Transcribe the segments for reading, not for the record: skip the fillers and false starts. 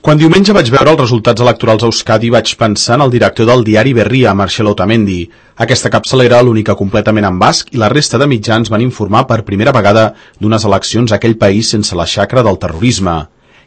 Quan diumenge vaig veure els resultats electorals a Euskadi vaig pensar en el director del diari Berria, Marcel Otamendi. Aquesta capçalera, l'única completament en basc, i la resta de mitjans van informar per primera vegada d'unes eleccions a aquell país sense la xacra del terrorisme.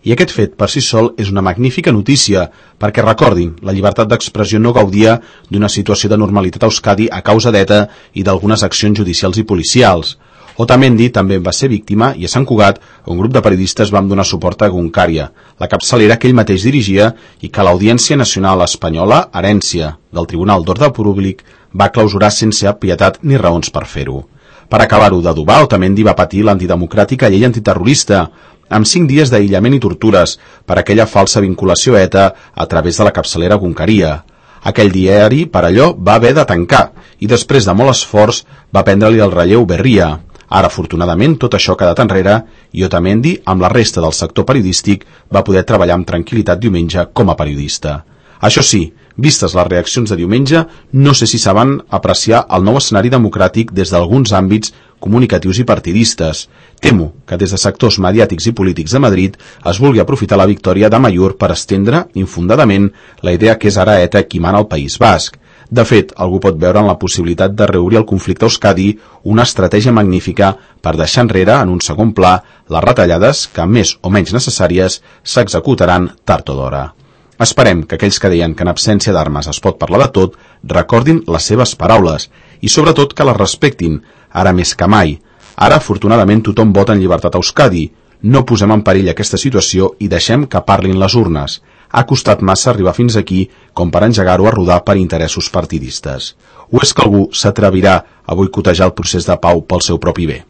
I aquest fet per si sol és una magnífica notícia, perquè recordin, la llibertat d'expressió no gaudia d'una situació de normalitat a Euskadi a causa d'ETA i d'algunes accions judicials i policials. Otamendi també va ser víctima i a Sant Cugat un grup de periodistes vam donar suport a Egunkaria, la capçalera que ell mateix dirigia i que l'Audiència Nacional Espanyola, herència del Tribunal d'Ordre Públic, va clausurar sense pietat ni raons per fer-ho. Per acabar-ho d'adobar, Otamendi va patir l'antidemocràtica llei antiterrorista, amb 5 dies d'aïllament i tortures per aquella falsa vinculació a ETA a través de la capçalera Egunkaria. Aquell diari, per allò, va haver de tancar i després de molt esforç va prendre-li el relleu Berria. Ara, afortunadament, tot això ha quedat enrere i Otamendi, amb la resta del sector periodístic, va poder treballar amb tranquil·litat diumenge com a periodista. Això sí, vistes les reaccions de diumenge, no sé si saben apreciar el nou escenari democràtic des d'alguns àmbits comunicatius i partidistes. Temo que des de sectors mediàtics i polítics de Madrid es vulgui aprofitar la victòria d'Amaiur per estendre, infundadament, la idea que és ara ETA qui mana al País Basc. De fet, algú pot veure en la possibilitat de reobrir el conflicte a Euskadi una estratègia magnífica per deixar enrere, en un segon pla, les retallades que, més o menys necessàries, s'executaran tard o d'hora. Esperem que aquells que deien que en absència d'armes es pot parlar de tot, recordin les seves paraules i, sobretot, que les respectin, ara més que mai. Ara, afortunadament, tothom vota en llibertat a Euskadi. No posem en perill aquesta situació i deixem que parlin les urnes. Ha costat massa arribar fins aquí com per engegar-ho a rodar per interessos partidistes. O és que algú s'atrevirà a boicotejar el procés de pau pel seu propi bé?